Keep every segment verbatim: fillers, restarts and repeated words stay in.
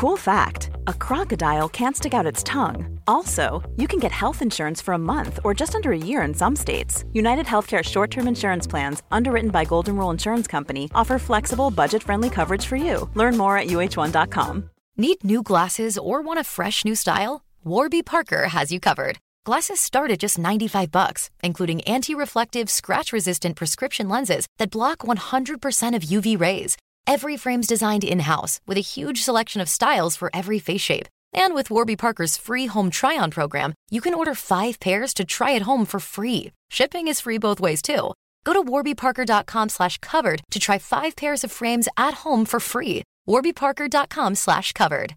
Cool fact, a crocodile can't stick out its tongue. Also, you can get health insurance for a month or just under a year in some states. United Healthcare short-term insurance plans, underwritten by Golden Rule Insurance Company, offer flexible, budget-friendly coverage for you. Learn more at U H one dot com. Need new glasses or want a fresh new style? Warby Parker has you covered. Glasses start at just ninety-five bucks, including anti-reflective, scratch-resistant prescription lenses that block one hundred percent of U V rays. Every frame's designed in-house with a huge selection of styles for every face shape. And with Warby Parker's free home try-on program, you can order five pairs to try at home for free. Shipping is free both ways, too. Go to warby parker dot com slash covered to try five pairs of frames at home for free. warby parker dot com slash covered.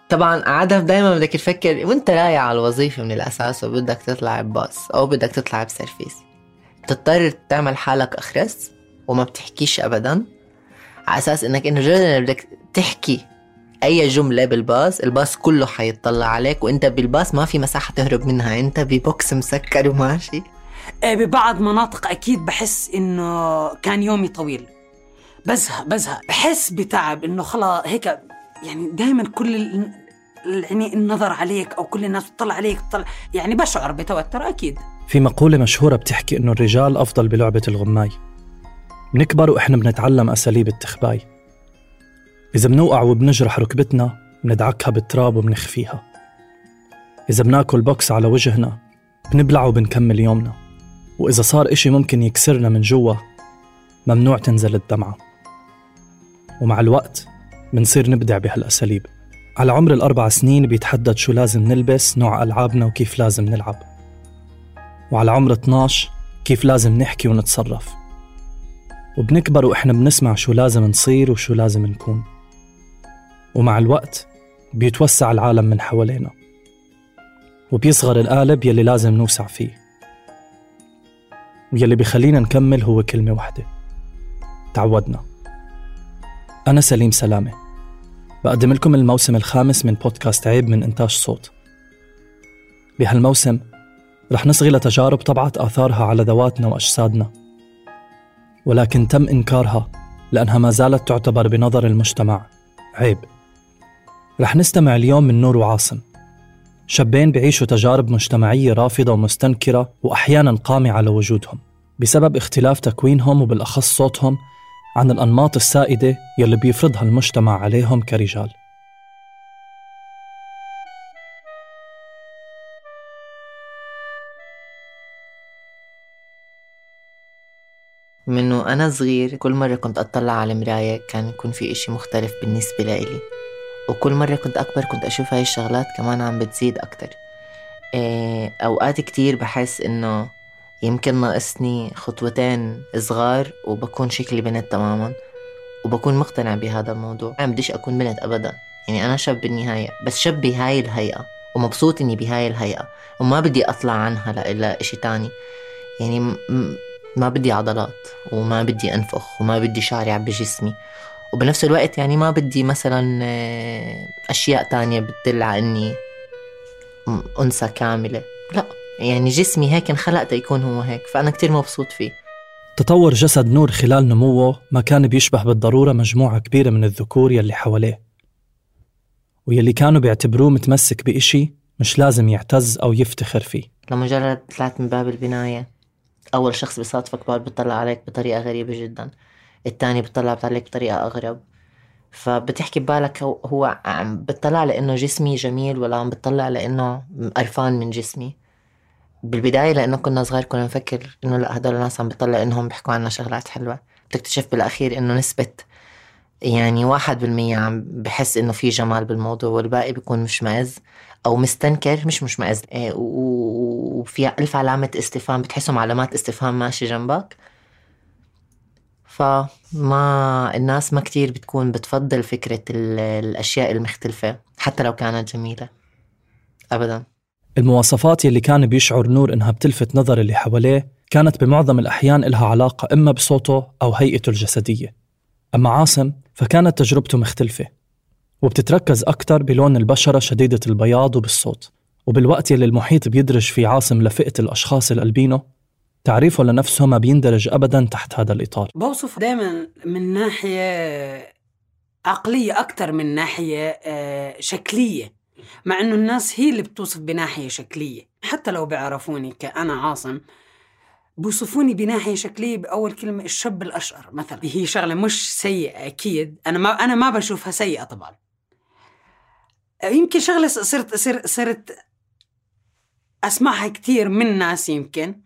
طبعا عادة دايما بدك تفكر وانت رايح على الوظيفة من الأساس وبدك تطلع بباص أو بدك تطلع بسيرفيس، تضطر تعمل حالك أخرس وما بتحكيش أبدا، على أساس إنك إنه جدا بدك تحكي أي جملة بالباص الباص كله حيطلع عليك، وإنت بالباص ما في مساحة تهرب منها، إنت ببوكس مسكر وماشي. ببعض مناطق أكيد بحس إنه كان يومي طويل، بزهق بزهق بحس بتعب، إنه خلاص هيك يعني دايما كل ال... يعني النظر عليك أو كل الناس تطلع عليك تطلع، يعني بشعر بتوتر أكيد. في مقولة مشهورة بتحكي إنه الرجال أفضل بلعبة الغماي. بنكبر وإحنا بنتعلم أساليب التخباي. إذا بنوقع وبنجرح ركبتنا بندعكها بالتراب وبنخفيها. إذا بناكل بوكس على وجهنا بنبلع وبنكمل يومنا. وإذا صار إشي ممكن يكسرنا من جوا ممنوع تنزل الدمعة. ومع الوقت بنصير نبدع بهالأساليب. على عمر الأربع سنين بيتحدد شو لازم نلبس، نوع ألعابنا وكيف لازم نلعب. وعلى عمر اثناشر كيف لازم نحكي ونتصرف. وبنكبر وإحنا بنسمع شو لازم نصير وشو لازم نكون. ومع الوقت بيتوسع العالم من حوالينا وبيصغر القالب يلي لازم نوسع فيه. ويلي بيخلينا نكمل هو كلمة واحدة: تعودنا. أنا سليم سلامة، بقدم لكم الموسم الخامس من بودكاست عيب من إنتاج صوت. بهالموسم رح نصغي لتجارب طبعت آثارها على ذواتنا وأجسادنا، ولكن تم إنكارها لأنها ما زالت تعتبر بنظر المجتمع عيب. رح نستمع اليوم من نور وعاصم، شابين بيعيشوا تجارب مجتمعية رافضة ومستنكرة وأحياناً قامعة على وجودهم بسبب اختلاف تكوينهم وبالأخص صوتهم عن الأنماط السائدة يلي بيفرضها المجتمع عليهم كرجال. منه أنا صغير كل مرة كنت أطلع على المراية كان يكون في إشي مختلف بالنسبة لإلي، وكل مرة كنت أكبر كنت أشوف هاي الشغلات كمان عم بتزيد أكتر. إيه أوقات كتير بحس إنه يمكن ناقصني خطوتين صغار وبكون شكلي بنت تماما، وبكون مقتنع بهذا الموضوع. ما بديش أكون بنت أبدا، يعني أنا شاب بالنهاية، بس شاب بهاي الهيئة ومبسوط إني بهاي الهيئة وما بدي أطلع عنها لإلا إشي تاني. يعني م- ما بدي عضلات وما بدي أنفخ وما بدي شعري عب جسمي، وبنفس الوقت يعني ما بدي مثلا أشياء تانية بتدل على إني أنثى كاملة. لا، يعني جسمي هيك انخلقت يكون هو هيك، فأنا كتير مبسوط فيه. تطور جسد نور خلال نموه ما كان بيشبه بالضرورة مجموعة كبيرة من الذكور يلي حواليه، ويلي كانوا بيعتبروه متمسك بإشي مش لازم يعتز أو يفتخر فيه. لمجرد طلعت من باب البناية أول شخص بيصادفك بعد بيطلع عليك بطريقة غريبة جدا، التاني بيطلع عليك بطريقة أغرب، فبتحكي ببالك هو عم بتطلع لأنه جسمي جميل ولا عم بتطلع لأنه قرفان من جسمي. بالبداية لأنه كنا صغير كنا نفكر إنه لا هدول الناس عم بتطلع إنهم بيحكوا عنا شغلات حلوة. بتكتشف بالأخير إنه نسبة يعني واحد بالمية عم بحس إنه في جمال بالموضوع، والباقي بيكون مشمئز أو مستنكر مش مشمئز. إيه وفي ألف علامة استفهام، بتحسهم علامات استفهام ماشي جنبك. فما الناس ما كتير بتكون بتفضل فكرة الأشياء المختلفة حتى لو كانت جميلة أبداً. المواصفات يلي كان بيشعر نور إنها بتلفت نظر اللي حواليه كانت بمعظم الأحيان إلها علاقة إما بصوته أو هيئته الجسدية. أما عاصم فكانت تجربته مختلفة وبتتركز أكتر بلون البشرة شديدة البياض وبالصوت. وبالوقت يلي المحيط بيدرج في عاصم لفئة الأشخاص الألبينو، تعريفه لنفسه ما بيندرج أبداً تحت هذا الإطار. بوصف دائما من ناحية عقلية أكتر من ناحية شكلية، مع أنه الناس هي اللي بتوصف بناحية شكلية. حتى لو بيعرفوني كأنا عاصم بوصفوني بناحية شكلية بأول كلمة الشاب الأشقر مثلا. هي شغلة مش سيئة أكيد، أنا ما أنا ما بشوفها سيئة طبعا. يمكن شغلة صرت صرت صرت أسمعها كتير من ناس يمكن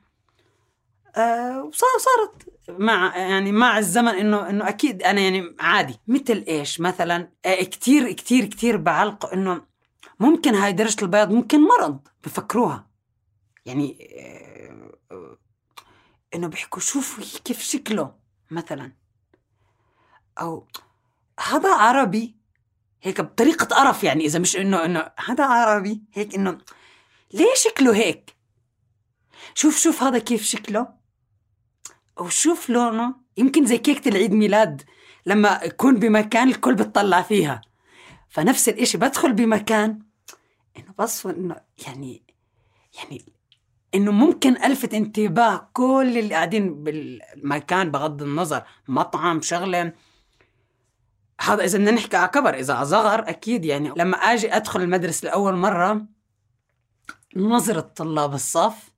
أه وصارت مع يعني مع الزمن إنه إنه أكيد أنا يعني عادي. مثل إيش مثلا أه كتير كتير كتير بعلق إنه ممكن هاي درجة البياض ممكن مرض بفكروها، يعني أه إنه بيحكوا شوفوا كيف شكله مثلا، أو هذا عربي هيك بطريقة قرف، يعني إذا مش إنه إنه هذا عربي هيك إنه ليه شكله هيك، شوف شوف هذا كيف شكله أو شوف لونه. يمكن زي كيكة العيد ميلاد لما يكون بمكان الكل بتطلع فيها، فنفس الإشي بدخل بمكان إنه بصف إنه يعني يعني إنه ممكن ألفت انتباه كل اللي قاعدين بالمكان بغض النظر مطعم شغلة. هذا إذا بدنا نحكي على كبر. إذا على صغر أكيد يعني لما أجي أدخل المدرسة لأول مرة نظرة طلاب الصف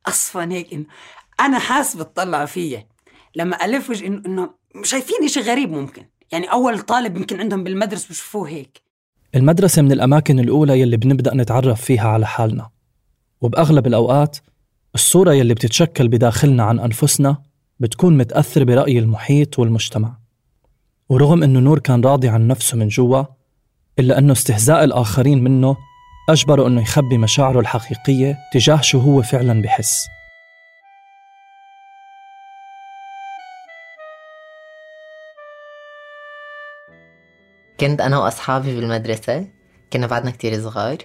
أصفن هيك إنه أنا حاسب تطلع فيه لما ألف وجه إنه إنه شايفين إشي غريب. ممكن يعني أول طالب يمكن عندهم بالمدرسة بشوفوه هيك. المدرسة من الأماكن الأولى يلي بنبدأ نتعرف فيها على حالنا، وبأغلب الأوقات الصورة يلي بتتشكل بداخلنا عن أنفسنا بتكون متأثر برأي المحيط والمجتمع. ورغم أنه نور كان راضي عن نفسه من جوا، إلا أنه استهزاء الآخرين منه أجبره أنه يخبي مشاعره الحقيقية تجاه شو هو فعلا بحس. كنت أنا وأصحابي بالمدرسة، كنا بعدنا كتير صغار،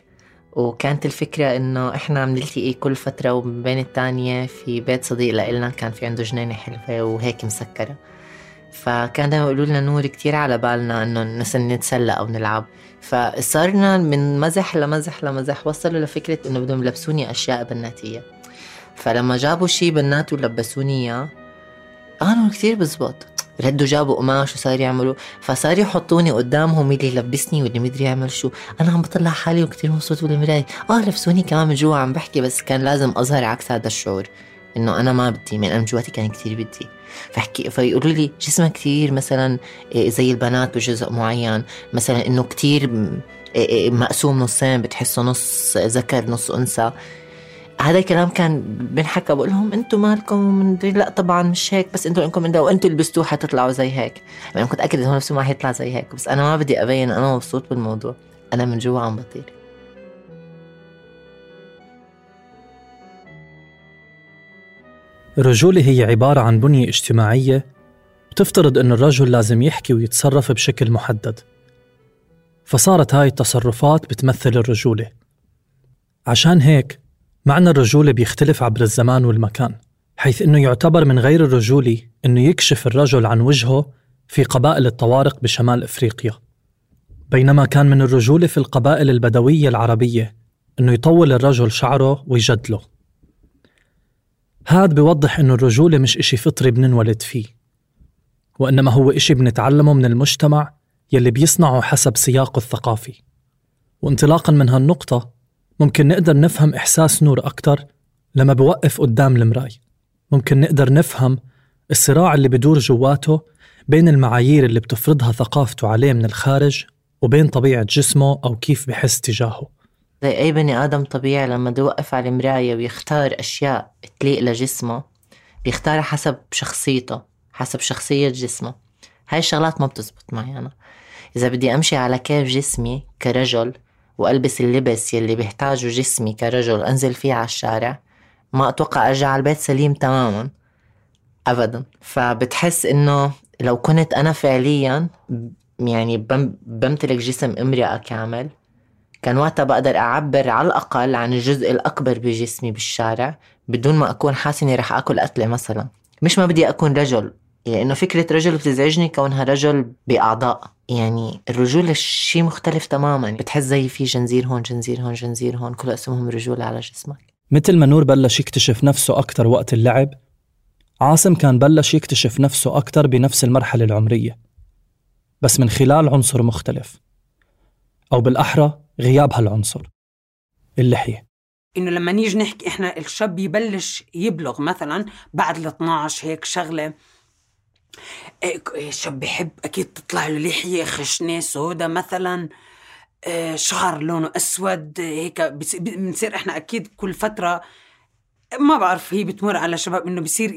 وكانت الفكرة إنه إحنا بنلتقي كل فترة وبين التانية في بيت صديق لإلنا كان في عنده جنينة حلوة وهيك مسكرة. فكان دايما يقولوا لنا نور كتير على بالنا إنه نتسلى أو نلعب. فصارنا من مزح لمزح لمزح وصلوا لفكرة إنه بدهم يلبسوني أشياء بناتية. فلما جابوا شي بنات ولبسوني إياه قالوا كتير بزبط، ردوا جابوا قماش وصار يعملوا، فصار يحطوني قدامهم اللي يلبسني واللي مدري يعمل شو. أنا عم بطلع حالي وكتير مبسوط بالمراية، آه لبسوني كمان من جوا عم بحكي، بس كان لازم أظهر عكس هذا الشعور إنه أنا ما بدي، من أنا جواتي كان كتير بدي. فحكي فيقولوا لي جسمك كتير مثلا زي البنات بجزء معين، مثلا إنه كتير مقسوم نصين بتحسه نص ذكر نص أنثى. هذا الكلام كان بنحكى، بقول لهم انتم مالكم من لا طبعا مش هيك، بس انتم انكم انتوا وانتوا لبستوه حتطلعوا زي هيك. يعني كنت اكيد انه نفسه ما حيطلع زي هيك، بس انا ما بدي ابين انا مبسوط بالموضوع، انا من جوا عم بطير. الرجولة هي عبارة عن بنية اجتماعية بتفترض أن الرجل لازم يحكي ويتصرف بشكل محدد، فصارت هاي التصرفات بتمثل الرجولة. عشان هيك معنى الرجولة بيختلف عبر الزمان والمكان، حيث أنه يعتبر من غير الرجولي أنه يكشف الرجل عن وجهه في قبائل الطوارق بشمال إفريقيا، بينما كان من الرجولة في القبائل البدوية العربية أنه يطول الرجل شعره ويجدله. هاد بيوضح أنه الرجولة مش إشي فطري بننولد فيه، وإنما هو إشي بنتعلمه من المجتمع يلي بيصنعه حسب سياقه الثقافي. وانطلاقاً من هالنقطة ممكن نقدر نفهم إحساس نور أكتر لما بوقف قدام المراية. ممكن نقدر نفهم الصراع اللي بدور جواته بين المعايير اللي بتفرضها ثقافته عليه من الخارج وبين طبيعة جسمه أو كيف بحس تجاهه. زي أي بني آدم طبيعي لما بيوقف على المراية ويختار أشياء تليق لجسمه بيختارها حسب شخصيته، حسب شخصية جسمه. هاي الشغلات ما بتزبط معي أنا. إذا بدي أمشي على كيف جسمي كرجل وألبس اللبس يلي بيحتاجه جسمي كرجل أنزل فيه على الشارع، ما أتوقع أرجع على البيت سليم تماماً أبداً. فبتحس إنه لو كنت أنا فعلياً يعني بمتلك جسم امرأة كامل، كان وقتها بقدر أعبر على الأقل عن الجزء الأكبر بجسمي بالشارع بدون ما أكون حاسني رح أكل قتلة مثلاً. مش ما بدي أكون رجل، يعني إنه فكرة رجل بتزعجني كونها رجل بأعضاء. يعني الرجولة شيء مختلف تماماً. بتحس زي في جنزير هون جنزير هون جنزير هون، كل اسمهم رجولة على جسمك. مثل ما نور بلش يكتشف نفسه أكتر وقت اللعب، عاصم كان بلش يكتشف نفسه أكتر بنفس المرحلة العمرية. بس من خلال عنصر مختلف، أو بالأحرى غياب هالعنصر، اللحية. إنه لما نيجي نحكي إحنا الشاب يبلش يبلغ مثلا بعد الاثناعش هيك شغلة، الشاب بيحب أكيد تطلع له لحية خشنة سودة مثلا، شعر لونه أسود هيك. بنصير إحنا أكيد كل فترة ما بعرف هي بتمر على شباب إنه بيصير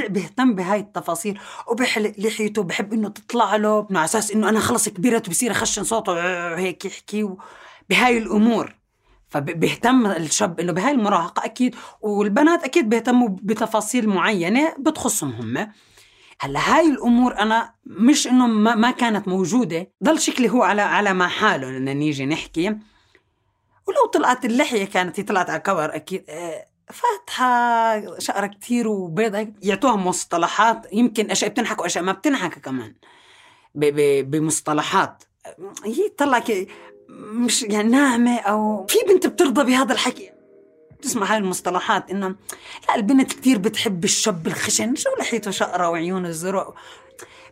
بيهتم بهاي التفاصيل وبيحلق لحيته، بحب إنه تطلع له على أساس إنه أنا خلص كبيرة وبصير أخشن صوته هيك يحكي بهاي الأمور. فبيهتم الشاب إنه بهاي المراهقة أكيد، والبنات أكيد بيهتموا بتفاصيل معينة بتخصهم هم. هلا هاي الأمور أنا مش إنه ما, ما كانت موجودة، ضل شكلي هو على على ما حاله لأن نيجي نحكي. ولو طلعت اللحية كانت طلعت على كبر أكيد فاتحة شعر كتير وبيضة، يعطوها مصطلحات يمكن أشياء بتنحك وأشياء ما بتنحك كمان بمصطلحات. هي طلع مش يعني ناعمة أو في بنت بترضى بهذا الحكي، تسمع هاي المصطلحات إنه لا البنت كتير بتحب الشاب الخشن، شو لحيته شقرة وعيونه الزرق،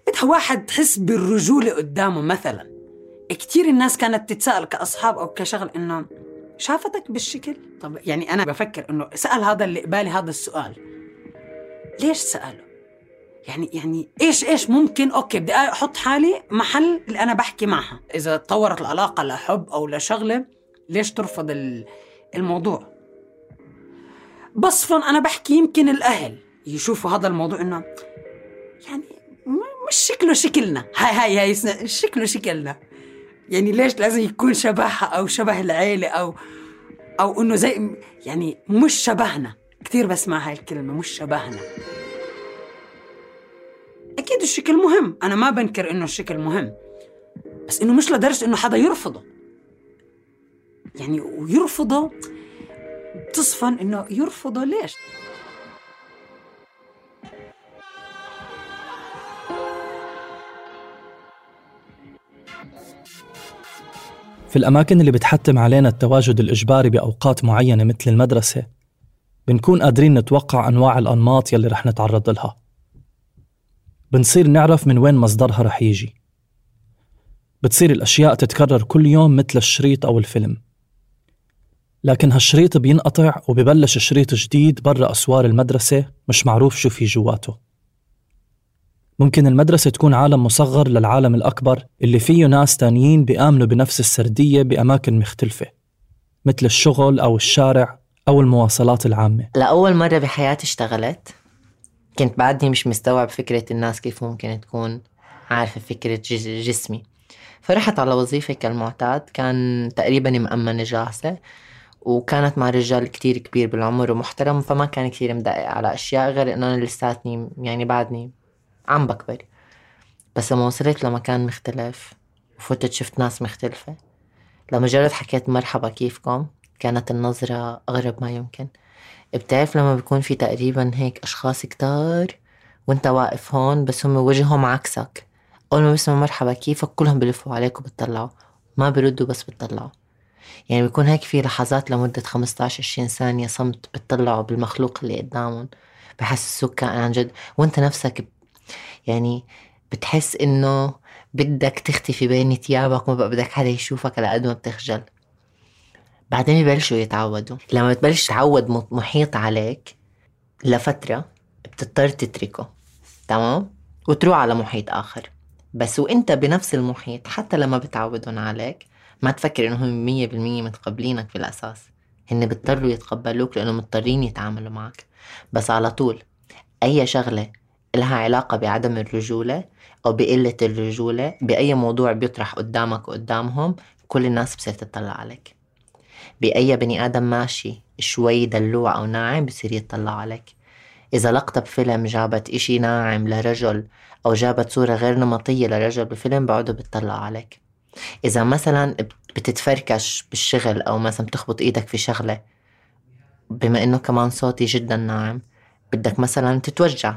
بدها واحد تحس بالرجولة قدامه مثلا. كتير الناس كانت تتسأل كأصحاب أو كشغل إنه شافتك بالشكل. طب يعني أنا بفكر إنه سأل هذا اللي قبالي هذا السؤال ليش سأله؟ يعني يعني إيش إيش ممكن أوكي بدي أحط حالي محل اللي أنا بحكي معها، إذا تطورت العلاقة لحب أو لشغلة ليش ترفض الموضوع؟ بصفاً أنا بحكي يمكن الأهل يشوفوا هذا الموضوع إنه يعني مش شكله شكلنا، هاي هاي هاي شكله شكلنا، يعني ليش لازم يكون شبهها أو شبه العيلة أو أو إنه زي يعني مش شبهنا. كتير بسمع هاي الكلمة مش شبهنا. أكيد الشكل مهم، أنا ما بنكر إنه الشكل مهم، بس إنه مش لدرجة إنه حدا يرفضه. يعني ويرفضه تصفن إنه يرفضه ليش؟ في الأماكن اللي بتحتم علينا التواجد الإجباري بأوقات معينة مثل المدرسة، بنكون قادرين نتوقع أنواع الأنماط يلي رح نتعرض لها. بنصير نعرف من وين مصدرها رح يجي. بتصير الأشياء تتكرر كل يوم مثل الشريط أو الفيلم، لكن هالشريط بينقطع وبيبلش شريط جديد برا أسوار المدرسة مش معروف شو في جواته. ممكن المدرسة تكون عالم مصغر للعالم الأكبر اللي فيه ناس تانيين بيآمنوا بنفس السردية بأماكن مختلفة مثل الشغل أو الشارع أو المواصلات العامة. لأول مرة بحياتي اشتغلت كنت بعدني مش مستوعب فكرة الناس كيف ممكن تكون عارفة فكرة جسمي، فرحت على وظيفة كالمعتاد، كان تقريبا مأمنة جاهزة وكانت مع رجال كتير كبير بالعمر ومحترم، فما كان كتير مدقق على أشياء غير أن أنا لساتني يعني بعدني عم بكبر. بس لما وصلت لمكان مختلف وفتت شفت ناس مختلفة، لما جرت حكيت مرحبا كيفكم، كانت النظرة أغرب ما يمكن. بتعرف لما بيكون في تقريبا هيك أشخاص كتار وانت واقف هون بس هم وجههم عكسك، أول ما بيسموا مرحبا كيفك كلهم بلفوا عليك وبتطلعوا، ما بيردوا بس بتطلعوا. يعني بيكون هيك في لحظات لمدة خمسة عشر عشرين ثانية صمت بتطلعوا بالمخلوق اللي قدامهم، بحسسوك كائن عن جد، وانت نفسك يعني بتحس إنه بدك تختفي بين ثيابك وما بقى بدك حدا يشوفك على قد ما بتخجل. بعدين يبلشوا يتعودوا. لما بتبلش تعود محيط عليك لفترة بتضطر تتركه، تمام، وتروح على محيط آخر. بس وإنت بنفس المحيط حتى لما بتعودون عليك ما تفكر إنهم مية بالمية متقبلينك في الأساس، هن بيضطروا يتقبلوك لأنه مضطرين يتعاملوا معك. بس على طول أي شغلة لها علاقة بعدم الرجولة أو بقلة الرجولة بأي موضوع بيطرح قدامك وقدامهم، كل الناس بصير تطلع عليك. بأي بني آدم ماشي شوي دلوع أو ناعم بصير يطلع عليك. إذا لقطة بفيلم جابت إشي ناعم لرجل أو جابت صورة غير نمطية لرجل بفيلم بعده بتطلع عليك. إذا مثلا بتتفركش بالشغل أو مثلا بتخبط إيدك في شغلة، بما إنه كمان صوتي جدا ناعم بدك مثلا تتوجع،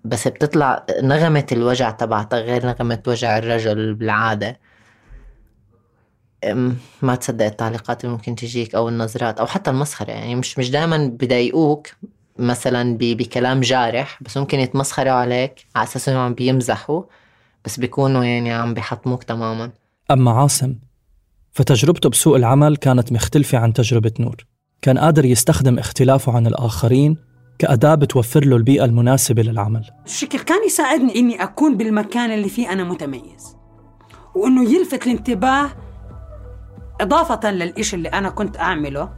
بس بتطلع نغمة الوجع تبعتك غير نغمة وجع الرجل بالعادة، ما تصدق التعليقات اللي ممكن تجيك أو النظرات أو حتى المسخرة. يعني مش مش دائما بدايقوك مثلا بكلام جارح، بس ممكن يتمسخروا عليك على أساس إنهم بيمزحوا، بس بيكونوا يعني عم بيحطموك تماما. أما عاصم فتجربته بسوق العمل كانت مختلفة عن تجربة نور. كان قادر يستخدم اختلافه عن الآخرين كأداة بتوفر له البيئة المناسبة للعمل. الشكل كان يساعدني إني أكون بالمكان اللي فيه أنا متميز، وإنه يلفت الانتباه إضافة للإشي اللي أنا كنت أعمله،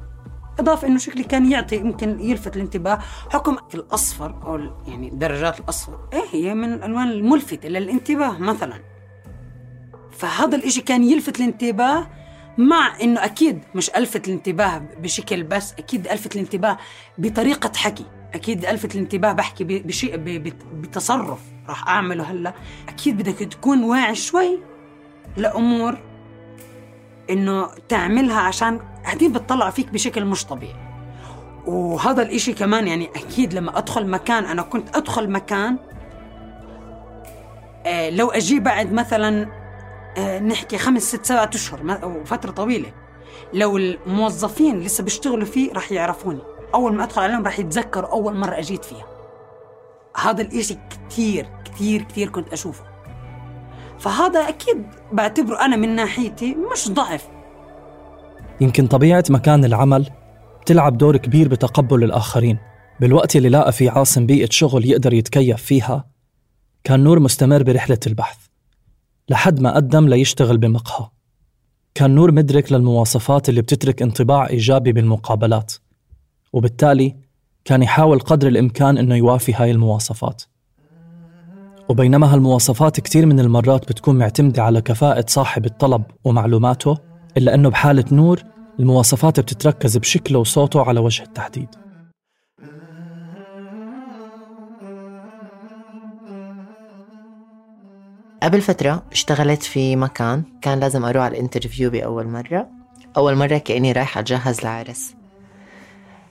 إضافة إنه شكلي كان يعطي يمكن يلفت الانتباه. حكم الأصفر أو يعني درجات الأصفر إيه هي من الألوان الملفتة للانتباه مثلا، فهذا الإشي كان يلفت الانتباه، مع إنه أكيد مش ألفت الانتباه بشكل بس، أكيد ألفت الانتباه بطريقة حكي، أكيد ألفت الانتباه بحكي بشيء بتصرف راح أعمله هلا. أكيد بدك تكون واعي شوي لأمور إنه تعملها عشان هدي بتطلع فيك بشكل مش طبيعي. وهذا الإشي كمان يعني أكيد لما أدخل مكان، أنا كنت أدخل مكان آه لو أجي بعد مثلا آه نحكي خمس ست سبعة أشهر أو فترة طويلة، لو الموظفين لسه بيشتغلوا فيه راح يعرفوني، أول ما أدخل عليهم راح يتذكروا أول مرة أجيت فيها. هذا الإشي كتير كتير كتير كنت أشوفه، فهذا أكيد بعتبره أنا من ناحيتي مش ضعف. يمكن طبيعة مكان العمل تلعب دور كبير بتقبل الآخرين. بالوقت اللي لاقى فيه عاصم بيئة شغل يقدر يتكيف فيها، كان نور مستمر برحلة البحث لحد ما قدم ليشتغل بمقهى. كان نور مدرك للمواصفات اللي بتترك انطباع إيجابي بالمقابلات، وبالتالي كان يحاول قدر الإمكان إنه يوافي هاي المواصفات. وبينما هالمواصفات كتير من المرات بتكون معتمدة على كفاءة صاحب الطلب ومعلوماته، إلا أنه بحالة نور المواصفات بتتركز بشكله وصوته على وجه التحديد. قبل فترة اشتغلت في مكان كان لازم أروح على الانترفيو بأول مرة. أول مرة كأني رايحة أجهز لعرس.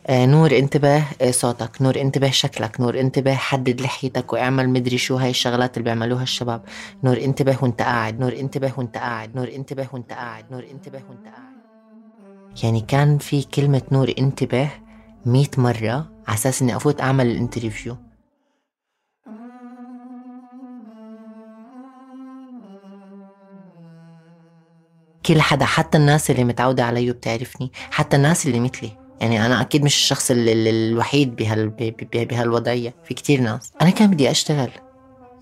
آه نور انتبه آه صوتك، نور انتبه شكلك، نور انتبه حدد لحيتك واعمل مدري شو هاي الشغلات اللي بيعملوها الشباب، نور انتبه وانت قاعد، نور انتبه وانت قاعد، نور انتبه وانت قاعد، نور انتبه وانت قاعد. يعني كان في كلمة نور انتبه مئة مرة على أساس إني أفوت أعمل الانترفيو. كل حدا، حتى الناس اللي متعودة علي بتعرفني، حتى الناس اللي مثلي، يعني أنا أكيد مش الشخص الوحيد بهال بهالوضعية، في كتير ناس. أنا كان بدي أشتغل،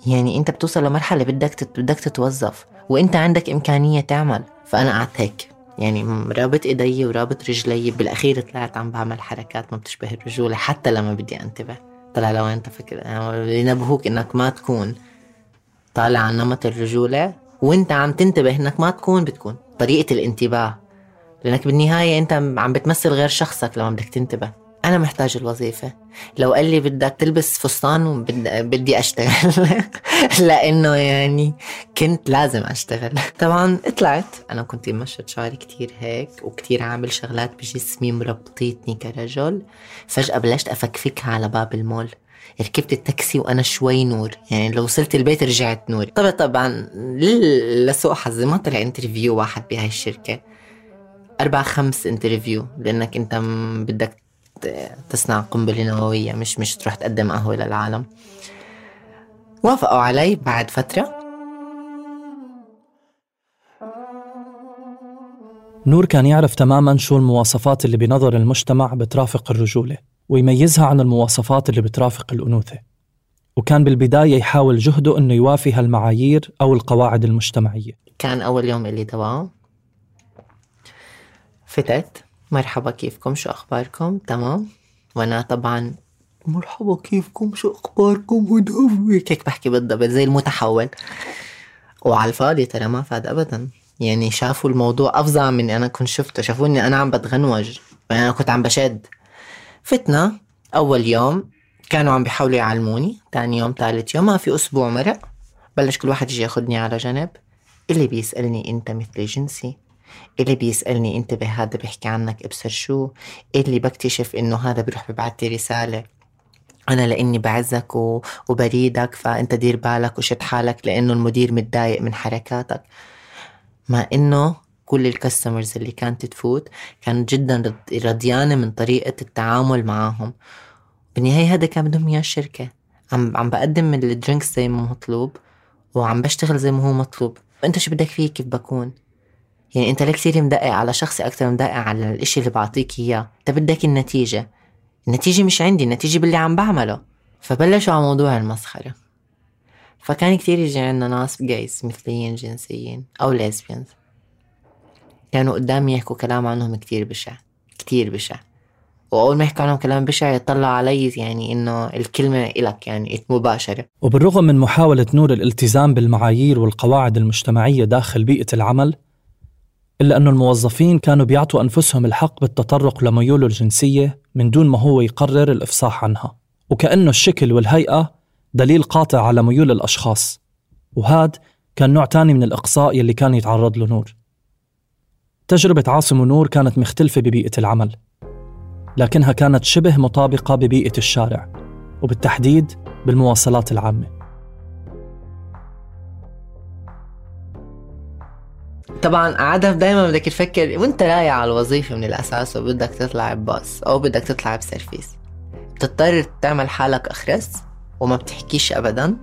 يعني أنت بتوصل لمرحلة بدك بدك تتوظف وأنت عندك إمكانية تعمل. فأنا قعدت هيك يعني رابط إيدي ورابط رجلي، بالأخير طلعت عم بعمل حركات ما بتشبه الرجولة حتى لما بدي أنتبه. طلع لو أنت فكر ينبهوك إنك ما تكون طالع عن نمط الرجولة وأنت عم تنتبه إنك ما تكون، بتكون طريقة الانتباه، لأنك بالنهاية أنت عم بتمثل غير شخصك لما بدك تنتبه. أنا محتاج الوظيفة. لو قال لي بدك تلبس فستان وبدي أشتغل لأنه يعني كنت لازم أشتغل. طبعا اطلعت، أنا كنت مشت شعري كتير هيك وكتير عامل شغلات بجسمي مربطيتني كرجل. فجأة بلشت أفكفكها على باب المول. ركبت التاكسي وأنا شوي نور، يعني لو وصلت البيت رجعت نور. طبعا طبعا لسوء حظي ما طلع انترفيو واحد بهاي الشركة، أربع خمس انترفيو، لأنك أنت بدك تصنع قنبلة نووية، مش مش تروح تقدم قهوة للعالم. وافقوا علي بعد فترة. نور كان يعرف تماماً شو المواصفات اللي بنظر المجتمع بترافق الرجولة ويميزها عن المواصفات اللي بترافق الأنوثة، وكان بالبداية يحاول جهده أنه يوافي هالمعايير أو القواعد المجتمعية. كان أول يوم اللي تبعه فتت، مرحبا كيفكم شو أخباركم تمام، وأنا طبعا مرحبا كيفكم شو أخباركم ودهوك هيك بحكي بالضبط زي المتحول. وعلى الفاضي ترى ما فاد أبدا، يعني شافوا الموضوع أفظع من أنا كنت شفته، شافوني أنا عم بتغنوج، أنا كنت عم بشد. فتنا أول يوم كانوا عم بيحاولوا يعلموني، تاني يوم ثالث يوم ما في أسبوع مرق بلش كل واحد يجي ياخدني على جنب، اللي بيسألني أنت مثل جنسي، اللي بيسألني انتبه هذا بيحكي عنك ابصر شو، اللي بكتشف انه هذا بيروح ببعث لي رسالة انا لاني بعزك وبريدك فانت دير بالك وشد حالك لانه المدير متضايق من حركاتك. مع انه كل الكاستمرز اللي كانت تفوت كانت جدا رضيانة من طريقة التعامل معهم. بالنهاية هذا كان بدهم اياه الشركة، عم عم بقدم الدرينكس زي ما مطلوب وعم بشتغل زي ما هو مطلوب، وانت شو بدك فيه كيف بكون؟ يعني انت ليه كثير مدقق على شخصي اكتر مدقق على الاشي اللي بعطيك اياه؟ انت بدك النتيجة، النتيجة مش عندي، النتيجة باللي عم بعمله. فبلشوا على موضوع المسخرة. فكان كتير يجي عنا ناس جايز مثليين جنسيين أو ليزبيانز، كانوا قدامي يحكوا كلام عنهم كتير بشع كتير بشع، وأول ما يحكوا عنهم كلام بشع يطلع علي يعني إنه الكلمة إلك يعني مباشرة. وبالرغم من محاولة نور الالتزام بالمعايير والقواعد المجتمعية داخل بيئة العمل، إلا أنه الموظفين كانوا بيعطوا أنفسهم الحق بالتطرق لميوله الجنسية من دون ما هو يقرر الإفصاح عنها، وكأنه الشكل والهيئة دليل قاطع على ميول الأشخاص. وهذا كان نوع تاني من الإقصاء يلي كان يتعرض له نور. تجربة عاصم ونور كانت مختلفة ببيئة العمل، لكنها كانت شبه مطابقة ببيئة الشارع، وبالتحديد بالمواصلات العامة. طبعا عادة دايما بدك تفكر وانت رايح على الوظيفة من الأساس وبدك تطلع بباص أو بدك تطلع بسيرفيس، بتضطر تعمل حالك أخرس وما بتحكيش أبدا،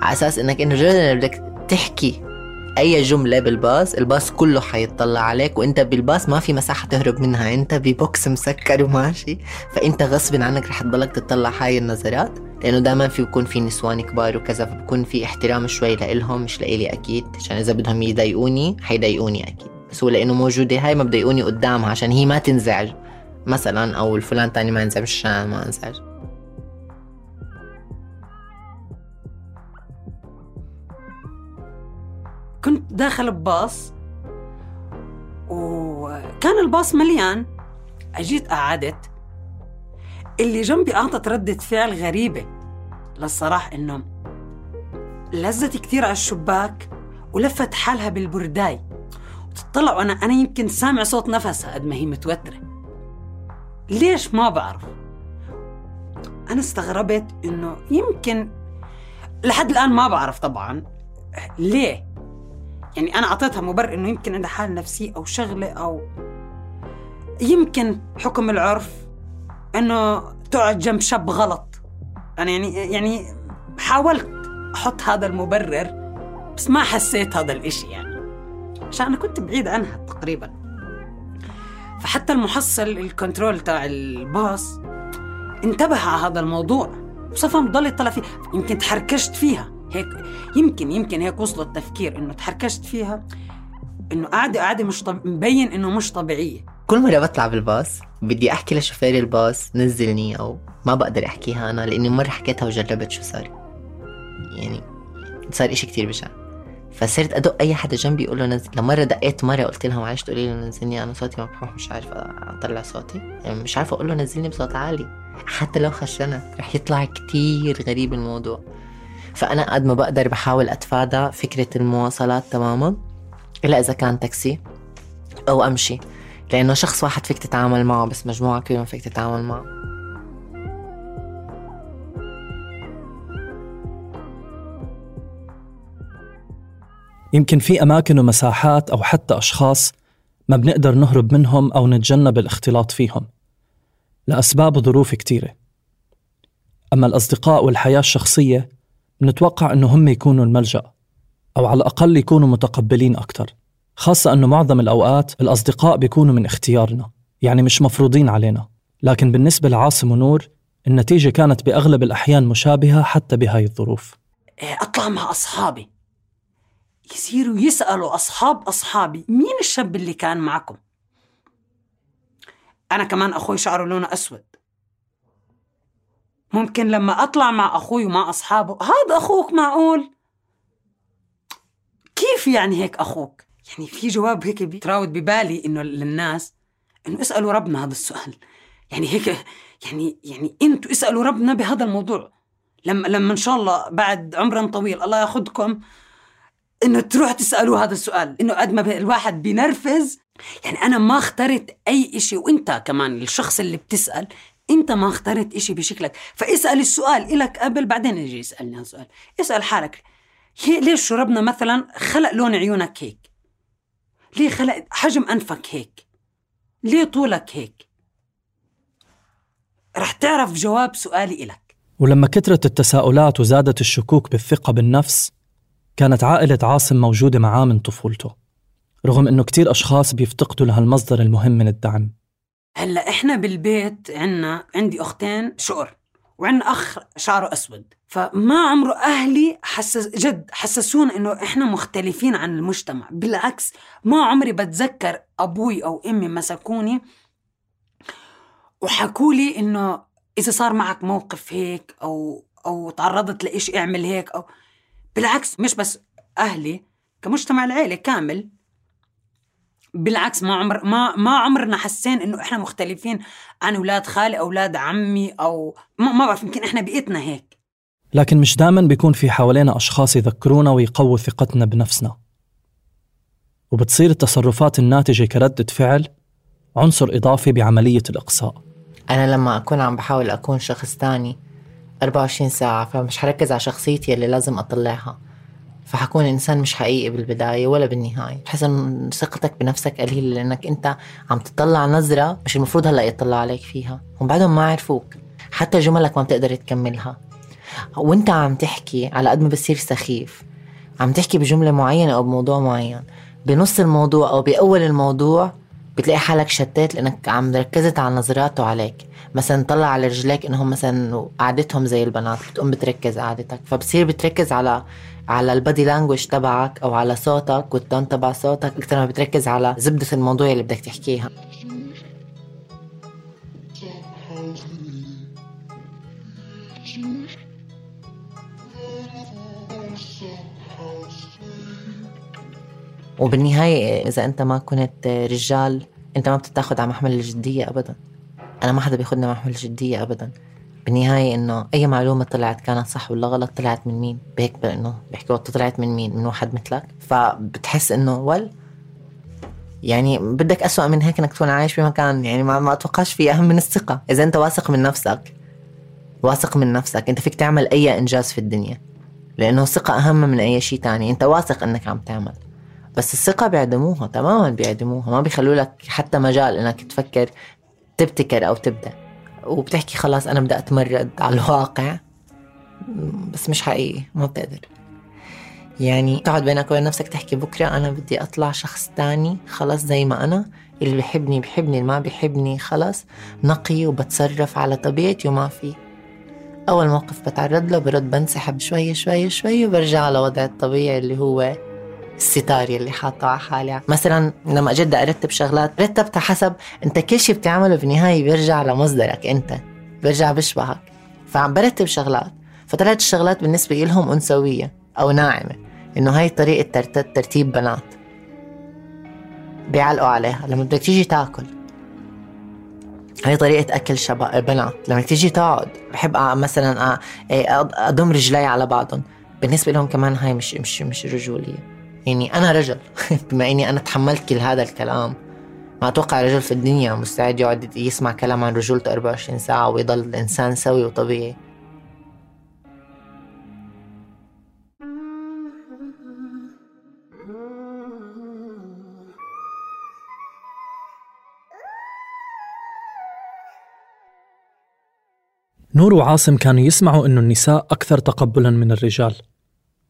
على أساس إنك إنه جدا بدك تحكي أي جملة بالباص الباص كله حيطلع عليك، وإنت بالباص ما في مساحة تهرب منها، إنت ببوكس مسكر وماشي، فإنت غصب عنك رح تضلك تطلع هاي النظرات، لأنه دائما في بيكون في نسوان كبار وكذا، فبكون في احترام شوي لإلهم مش لإلي أكيد، عشان إذا بدهم يضايقوني حيضايقوني أكيد، بس هو لأنه موجودة هاي ما بضايقوني قدامها عشان هي ما تنزعج مثلا، أو الفلان تاني ما ينزعج عشان ما انزعج. كنت داخل بباص وكان الباص مليان، أجيت قعدت، اللي جنبي أعطت ردة فعل غريبة للصراحة، إنه لزت كتير على الشباك ولفت حالها بالبرداي وتطلع، وأنا أنا يمكن سامع صوت نفسها قد ما هي متوترة. ليش ما بعرف. أنا استغربت إنه يمكن لحد الآن ما بعرف طبعا ليه، يعني أنا أعطيتها مبرر إنه يمكن عندها حالة نفسية أو شغلة، أو يمكن حكم العرف إنه تقعد جنب شاب غلط. أنا يعني يعني حاولت أحط هذا المبرر بس ما حسيت هذا الإشي، يعني عشان أنا كنت بعيد عنها تقريبا. فحتى المحصل الكنترول تاع الباص انتبه على هذا الموضوع وصفا مضل يطلع فيه، يمكن تحركشت فيها هيك، يمكن يمكن هيك وصل التفكير إنه تحركشت فيها، إنه قاعدة قاعدة مش طب... مبين إنه مش طبيعية. كل مرة بطلع بالباص بدي أحكي لشوفير الباص نزلني، أو ما بقدر أحكيها أنا لأني مرة حكيتها وجربت شو صار، يعني صار إشي كتير بشع. فصرت أدق أي حدا جنبي يقول له نزل. لمرة دقيت مرة قلت لها معلش تقولي له نزلني، أنا صوتي مبحوح مش عارفة أطلع صوتي، يعني مش عارفة أقول له نزلني بصوت عالي، حتى لو خشنت رح يطلع كتير غريب الموضوع. فأنا قد ما بقدر بحاول أتفادى فكرة المواصلات تماما، إلا إذا كان تاكسي أو أمشي، لأنه شخص واحد فيك تتعامل معه بس مجموعة كلهم فيك تتعامل معه. يمكن في أماكن ومساحات أو حتى أشخاص ما بنقدر نهرب منهم أو نتجنب الاختلاط فيهم لأسباب وظروف كتيرة. أما الأصدقاء والحياة الشخصية بنتوقع أنه هم يكونوا الملجأ، أو على الأقل يكونوا متقبلين أكتر، خاصة أنه معظم الأوقات الأصدقاء بيكونوا من اختيارنا، يعني مش مفروضين علينا. لكن بالنسبة لعاصم ونور النتيجة كانت بأغلب الأحيان مشابهة حتى بهاي الظروف. أطلع مع أصحابي يصيروا يسألوا أصحاب أصحابي مين الشاب اللي كان معكم. أنا كمان أخوي شعره لونه أسود، ممكن لما أطلع مع أخوي ومع أصحابه هذا أخوك معقول؟ كيف يعني هيك أخوك؟ يعني في جواب هيك بيتراود ببالي إنه للناس إنه اسألوا ربنا هذا السؤال، يعني هيك يعني يعني أنتوا اسألوا ربنا بهذا الموضوع لما لما إن شاء الله بعد عمر طويل الله ياخدكم إنه تروح تسألوا هذا السؤال، إنه قد ما الواحد بينرفز. يعني أنا ما اخترت أي إشي، وإنت كمان الشخص اللي بتسأل أنت ما اخترت إشي بشكلك، فاسأل السؤال إلك قبل بعدين يجي يسألني هذا السؤال. اسأل حالك ليش ربنا مثلا خلق لون عيونك هيك؟ ليه خلق حجم أنفك هيك؟ ليه طولك هيك؟ رح تعرف جواب سؤالي إلك. ولما كترت التساؤلات وزادت الشكوك بالثقة بالنفس، كانت عائلة عاصم موجودة معاه من طفولته، رغم إنه كتير أشخاص بيفتقدوا لهالمصدر المهم من الدعم. هلأ إحنا بالبيت عنا عندي أختين شقر وعنا أخ شعره أسود، فما عمره أهلي حسس جد حسسونا إنه إحنا مختلفين عن المجتمع. بالعكس، ما عمري بتذكر أبوي أو أمي مسكوني وحكولي إنه إذا صار معك موقف هيك أو أو تعرضت لإيش اعمل هيك. أو بالعكس، مش بس أهلي، كمجتمع العيلة كامل بالعكس، ما عمر ما ما عمرنا حسين إنه إحنا مختلفين عن أولاد خالي أولاد عمي أو ما ما بعرف، يمكن إحنا بيئتنا هيك. لكن مش دائما بيكون في حوالينا أشخاص يذكرونا ويقووا ثقتنا بنفسنا، وبتصير التصرفات الناتجة كردة فعل عنصر إضافي بعملية الإقصاء. أنا لما أكون عم بحاول أكون شخص تاني أربعة وعشرين ساعة، فمش حركز على شخصيتي اللي لازم أطلعها، فحكون إنسان مش حقيقي بالبداية ولا بالنهاية. بحس إن ثقتك بنفسك قليلة لأنك أنت عم تطلع نظرة مش المفروض هلأ يطلع عليك فيها، وبعدهم ما عرفوك، حتى جملك ما بتقدر تكملها. وانت عم تحكي على قد ما بصير سخيف، عم تحكي بجملة معينة أو بموضوع معين، بنص الموضوع أو بأول الموضوع بتلاقي حالك شتات لأنك عم ركزت على نظراته عليك. مثلا طلع على رجليك إنهم مثلا قعدتهم زي البنات، بتقوم بتركز قعدتك، فبصير بتركز على على البادي لانجوج تبعك أو على صوتك والتون تبع صوتك أكثر ما بتركز على زبدة الموضوع اللي بدك تحكيها. وبالنهاية إذا أنت ما كنت رجال أنت ما بتتاخد على محمل الجدية أبدا. أنا ما حدا بياخدنا محمل الجدية أبدا. بالنهاية إنه أي معلومة طلعت كانت صح ولا غلط، طلعت من مين؟ بهيك بأنه بيحكوا طلعت من مين؟ من واحد مثلك. فبتحس إنه ول يعني بدك أسوأ من هيك إنك تكون عايش بمكان يعني ما ما أتوقعش فيه أهم من الثقة. إذا أنت واثق من نفسك واثق من نفسك أنت فيك تعمل أي إنجاز في الدنيا، لأنه الثقة أهم من أي شيء تاني. أنت واثق إنك عم تعمل، بس الثقة بيعدموها تماما، بيعدموها، ما بيخلوا لك حتى مجال إنك تفكر تبتكر أو تبدأ. وبتحكي خلاص أنا بدأ أتمرد على الواقع، بس مش حقيقي، ما بتقدر. يعني تقعد بينك وبين نفسك تحكي بكرة أنا بدي أطلع شخص تاني خلاص زي ما أنا، اللي بيحبني بيحبني، اللي ما بيحبني خلاص نقي وبتصرف على طبيعتي وما في. أول موقف بتعرض له برد بنسحب شوي شوي شوي وبرجع على وضع الطبيعي اللي هو الستاري اللي حاطه على حالي. مثلا لما أجد أرتب شغلات رتبتها حسب أنت كل شيء بتعمله بالنهاية بيرجع لمصدرك أنت، بيرجع بشبهك. فعم برتب شغلات فطلعت الشغلات بالنسبة لهم أنثوية أو ناعمة، إنه هاي طريقة ترتيب بنات بيعلقوا عليها. لما بدك تيجي تاكل هاي طريقة أكل شباب بنات. لما تيجي تقعد بحب مثلا أضم رجلي على بعضهم، بالنسبة لهم كمان هاي مش مش مش رجولية. يعني أنا رجل بما إني أنا تحملت كل هذا الكلام، ما أتوقع رجل في الدنيا مستعد يقعد يسمع كلام عن رجولته أربعة وعشرين ساعة ويضل الإنسان سوي وطبيعي. نور وعاصم كانوا يسمعوا إنه النساء أكثر تقبلاً من الرجال،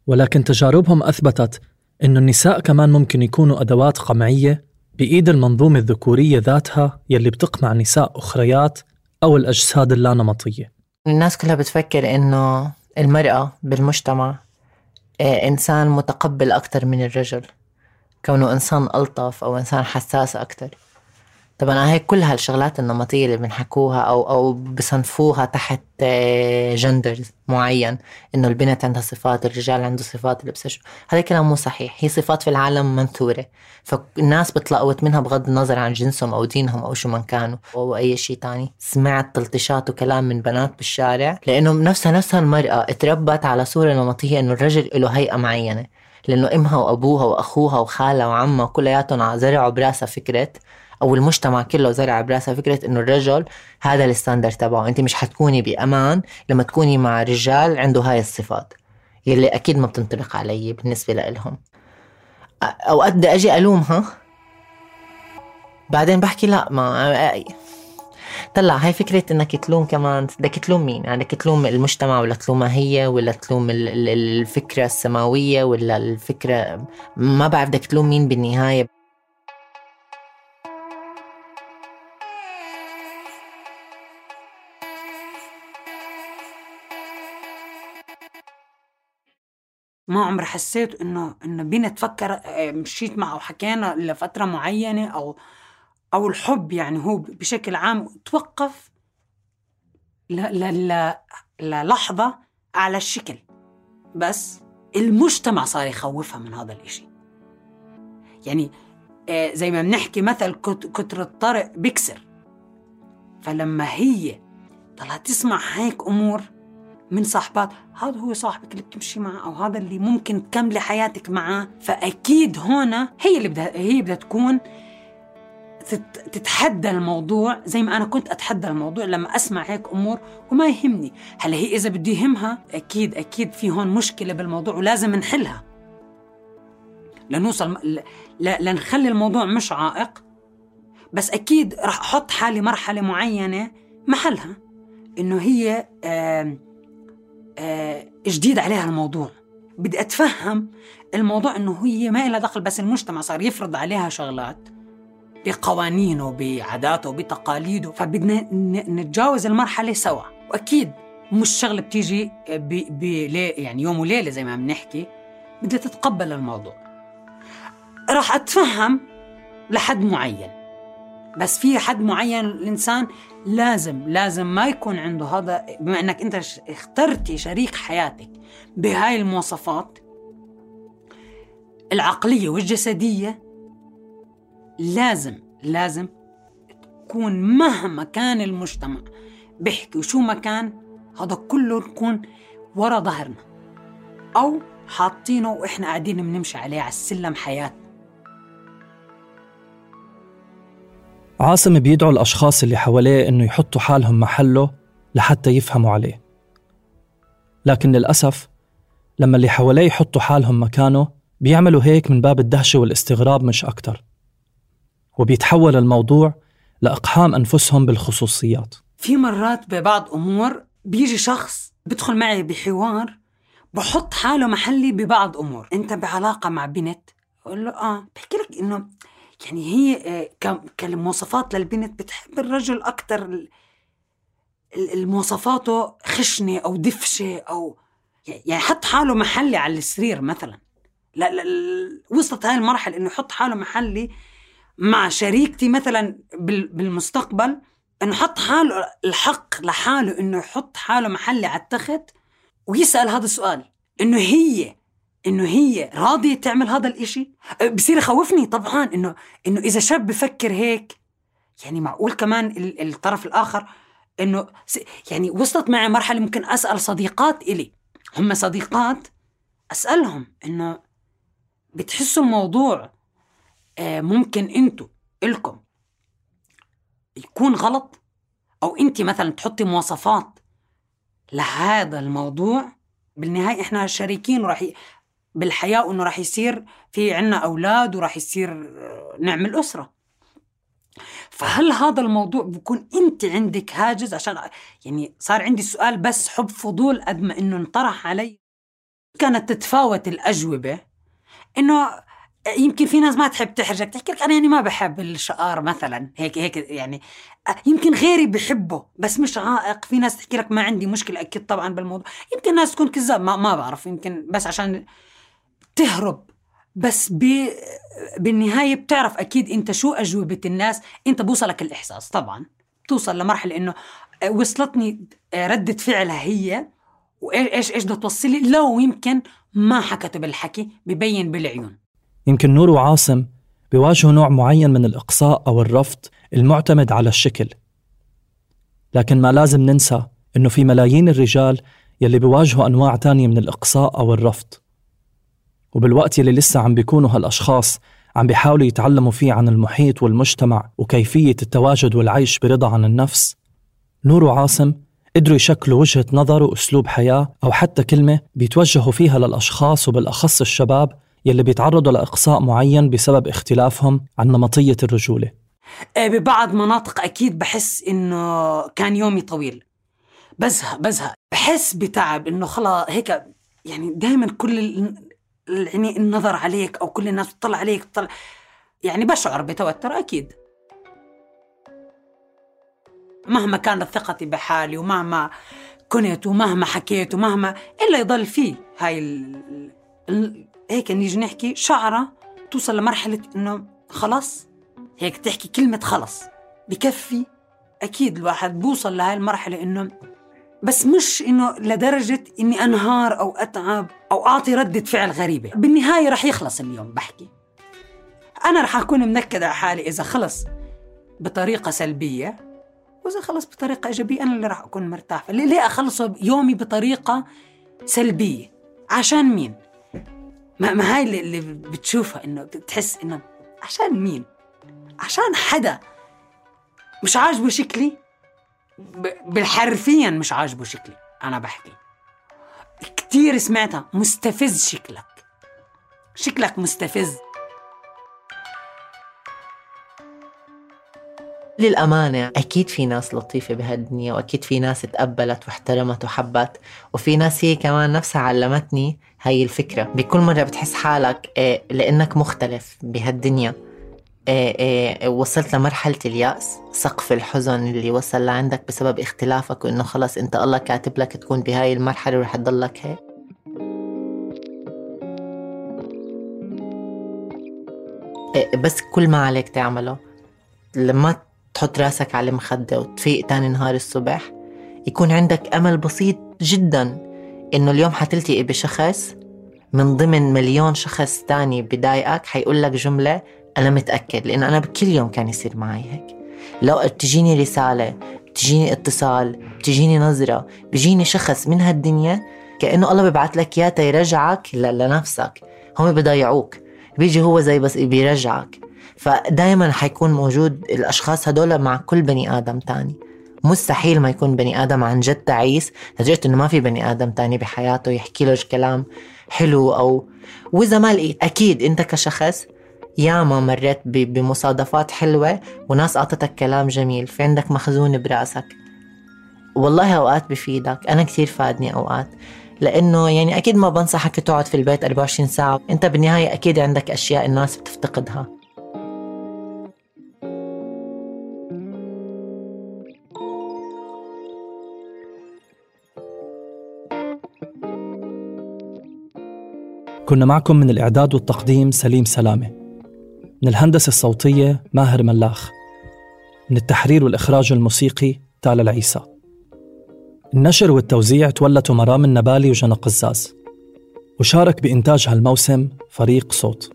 ولكن تجاربهم أثبتت إنه النساء كمان ممكن يكونوا أدوات قمعية بإيد المنظومة الذكورية ذاتها يلي بتقمع نساء أخريات أو الأجساد اللانمطية. الناس كلها بتفكر إنه المرأة بالمجتمع إنسان متقبل أكتر من الرجل، كونه إنسان ألطف أو إنسان حساس أكتر. طبعا هاي كل هالشغلات النمطية اللي بنحكوها أو أو بصنفوها تحت جندر معين، إنه البنت عندها صفات، الرجال عنده صفات، اللبس. هذا كلام مو صحيح. هي صفات في العالم منثورة، فالناس بتلقوت منها بغض النظر عن جنسهم أو دينهم أو شو من كانوا أو أي شيء تاني. سمعت تلطيشات وكلام من بنات بالشارع لأنه نفسها نفسها المرأة اتربت على صورة نمطية إنه الرجل له هيئة معينة، لأنه إمها وأبوها وأخوها وخالها وعمها كلياتهم زرعوا براسها فكرة، أو المجتمع كله زرع براسها فكرة إنه الرجل هذا الستاندر تبعه. أنت مش حتكوني بأمان لما تكوني مع رجال عنده هاي الصفات يلي أكيد ما بتنطبق علي بالنسبة لهم. أوقات بدي أجي ألومها بعدين بحكي لا، ما طلع هاي فكرة إنك تلوم كمان، بدك تلوم مين؟ يعني بدك تلوم المجتمع ولا تلومها هي ولا تلوم الفكرة السماوية ولا الفكرة، ما بعرف بدك تلوم مين بالنهاية. ما عمري حسيت إنه إنه بينا تفكر مشيت معه وحكينا لفترة معينة أو أو الحب يعني هو بشكل عام توقف ل ل للحظة على الشكل، بس المجتمع صار يخوفها من هذا الإشي. يعني زي ما بنحكي مثل كتر الطرق بيكسر، فلما هي طلعت تسمع هيك أمور من صاحبات، هذا هو صاحبك اللي بتمشي معه أو هذا اللي ممكن تكملي حياتك معه، فأكيد هنا هي اللي بدها هي بدها تكون تتحدى الموضوع زي ما أنا كنت أتحدى الموضوع لما أسمع هيك أمور وما يهمني. هل هي إذا بدي يهمها أكيد أكيد في هون مشكلة بالموضوع ولازم نحلها لنوصل ل... لنخلي الموضوع مش عائق، بس أكيد رح أحط حالي مرحلة معينة محلها إنه هي آه آه جديد عليها الموضوع، بدي أتفهم الموضوع إنه هي ما إلها دخل، بس المجتمع صار يفرض عليها شغلات بقوانينه بعاداته بتقاليده، فبدنا نتجاوز المرحلة سوا. وأكيد مش شغلة بتيجي ب... ب... يعني يوم وليلة زي ما بنحكي، بدها تتقبل الموضوع. راح أتفهم لحد معين، بس في حد معين الإنسان لازم لازم ما يكون عنده هذا، بما أنك أنت اخترتي شريك حياتك بهاي المواصفات العقلية والجسدية، لازم لازم تكون مهما كان المجتمع بيحكي وشو ما كان، هذا كله نكون ورا ظهرنا أو حاطينه وإحنا قاعدين بنمشي عليه على السلم حياتنا. عاصم بيدعو الأشخاص اللي حواليه إنه يحطوا حالهم محله لحتى يفهموا عليه، لكن للأسف لما اللي حواليه يحطوا حالهم مكانه بيعملوا هيك من باب الدهشة والاستغراب مش أكتر، وبيتحول الموضوع لإقحام أنفسهم بالخصوصيات. في مرات ببعض أمور بيجي شخص بدخل معي بحوار بحط حاله محلي ببعض أمور. أنت بعلاقة مع بنت، أقول له آه بحكي لك إنه يعني هي كالمواصفات للبنت بتحب الرجل أكتر، المواصفاته خشنة أو دفشة أو يعني حط حاله محلي على السرير مثلا. لا لا وصلت هاي المرحلة إنه يحط حاله محلي مع شريكتي مثلا بالمستقبل، إنه حط حاله الحق لحاله إنه يحط حاله محلي على التخت ويسأل هذا السؤال، إنه هي إنه هي راضية تعمل هذا الإشي. بصير يخوفني طبعا إنه إنه إذا شاب بفكر هيك، يعني معقول كمان الطرف الآخر إنه يعني وصلت معي مرحلة ممكن أسأل صديقات إلي هم صديقات، أسألهم إنه بتحسوا الموضوع ممكن أنتوا إلكم يكون غلط، أو أنت مثلا تحطي مواصفات لهذا الموضوع. بالنهاية إحنا شريكين وراح ي... بالحياة، وإنه راح يصير في عنا أولاد وراح يصير نعمل أسرة. فهل هذا الموضوع بيكون أنت عندك هاجس؟ عشان يعني صار عندي سؤال بس حب فضول قد ما إنه انطرح علي. كانت تتفاوت الأجوبة، إنه يمكن في ناس ما تحب تحرجك تحكي لك أنا يعني ما بحب الشقار مثلا هيك هيك، يعني يمكن غيري بحبه بس مش عائق. في ناس تحكي لك ما عندي مشكلة، أكيد طبعا بالموضوع. يمكن ناس تكون كذاب، ما ما بعرف، يمكن بس عشان تهرب. بس بالنهاية بتعرف أكيد أنت شو أجوبة الناس، أنت بوصلك الإحساس طبعا، توصل لمرحلة إنه وصلتني ردة فعلها هي وإيش إيش بدها توصلي، لو يمكن ما حكته بالحكي ببين بالعيون. يمكن نور وعاصم بيواجهوا نوع معين من الإقصاء أو الرفض المعتمد على الشكل، لكن ما لازم ننسى إنه في ملايين الرجال يلي بيواجهوا أنواع تانية من الإقصاء أو الرفض، وبالوقت يلي لسه عم بيكونوا هالأشخاص عم بيحاولوا يتعلموا فيه عن المحيط والمجتمع وكيفية التواجد والعيش برضا عن النفس، نور وعاصم قدروا يشكلوا وجهة نظر وأسلوب حياة أو حتى كلمة بيتوجهوا فيها للأشخاص وبالأخص الشباب يلي بيتعرضوا لإقصاء معين بسبب اختلافهم عن نمطية الرجولة. ببعض مناطق أكيد بحس إنه كان يومي طويل، بزهق بزهق بحس بتعب، إنه خلا هيك يعني دايما كل يعني النظر عليك أو كل الناس تطلع عليك تطلع، يعني بشعر بتوتر أكيد. مهما كانت ثقتي بحالي ومهما كنت ومهما حكيت ومهما إلا يضل فيه هاي ال... ال... هيك نيجي نحكي شعرة توصل لمرحلة إنه خلاص هيك تحكي كلمة خلص بكفي. أكيد الواحد بوصل لهاي المرحلة إنه بس مش إنه لدرجة إني أنهار أو أتعب أو أعطي ردة فعل غريبة. بالنهاية رح يخلص اليوم، بحكي أنا رح أكون منكدة على حالي إذا خلص بطريقة سلبية، وإذا خلص بطريقة إيجابية أنا اللي رح أكون مرتاح. ليه أخلصه يومي بطريقة سلبية؟ عشان مين؟ ما, ما هاي اللي بتشوفها إنه بتحس إنه عشان مين؟ عشان حدا مش عاجبه شكلي، بالحرفيا مش عاجبه شكلي. أنا بحكي كتير سمعتها، مستفز شكلك، شكلك مستفز. للأمانة أكيد في ناس لطيفة بهالدنيا، وأكيد في ناس تقبلت واحترمت وحبت، وفي ناس هي كمان نفسها علمتني هاي الفكرة. بكل مرة بتحس حالك إيه لأنك مختلف بهالدنيا إيه إيه وصلت لمرحلة اليأس، سقف الحزن اللي وصل لعندك بسبب اختلافك، وإنه خلاص أنت الله كاتب لك تكون بهاي المرحلة ورح تضلك هيك. إيه بس كل ما عليك تعمله لما تحط راسك على المخدة وتفيق تاني نهار الصبح يكون عندك أمل بسيط جدا إنه اليوم حتلتقي بشخص من ضمن مليون شخص تاني بدايقك حيقول لك جملة أنا متأكد، لأن أنا بكل يوم كان يصير معي هيك. لو تجيني رسالة، تجيني اتصال، تجيني نظرة، بيجيني شخص من هالدنيا كأنه الله بيبعت لك إياه يرجعك لنفسك. هم بيضيعوك، بيجي هو زي بس بيرجعك. فدايما حيكون موجود الأشخاص هدول مع كل بني آدم تاني. مستحيل ما يكون بني آدم عن جد تعيس لدرجة إنه ما في بني آدم تاني بحياته يحكي له كلام حلو. أو وإذا ما لقيت، أكيد أنت كشخص ياما مريت بمصادفات حلوة وناس أعطتك كلام جميل، في عندك مخزون براسك. والله أوقات بفيدك، أنا كتير فادني أوقات، لأنه يعني أكيد ما بنصحك تقعد في البيت أربعة وعشرين ساعة. أنت بالنهاية أكيد عندك أشياء الناس بتفتقدها. كنا معكم من الإعداد والتقديم سليم سلامة، من الهندسة الصوتية ماهر ملاخ، من التحرير والإخراج الموسيقي تالا العيسى. النشر والتوزيع تولته مرام النبالي وجنى قزاز، وشارك بإنتاج هالموسم فريق صوت.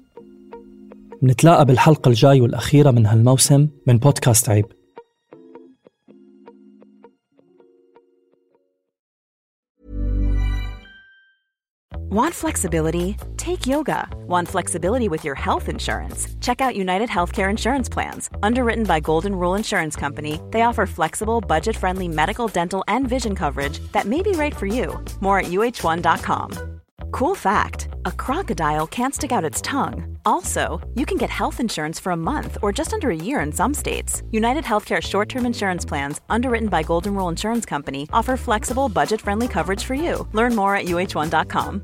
نتلاقى بالحلقة الجاي والأخيرة من هالموسم من بودكاست عيب. Want flexibility? Take yoga. Want flexibility with your health insurance? Check out United Healthcare Insurance Plans. Underwritten by Golden Rule Insurance Company, they offer flexible, budget-friendly medical, dental, and vision coverage that may be right for you. More at U H one dot com. Cool fact, a crocodile can't stick out its tongue. Also, you can get health insurance for a month or just under a year in some states. United Healthcare short-term insurance plans, underwritten by Golden Rule Insurance Company, offer flexible, budget-friendly coverage for you. Learn more at U H one dot com.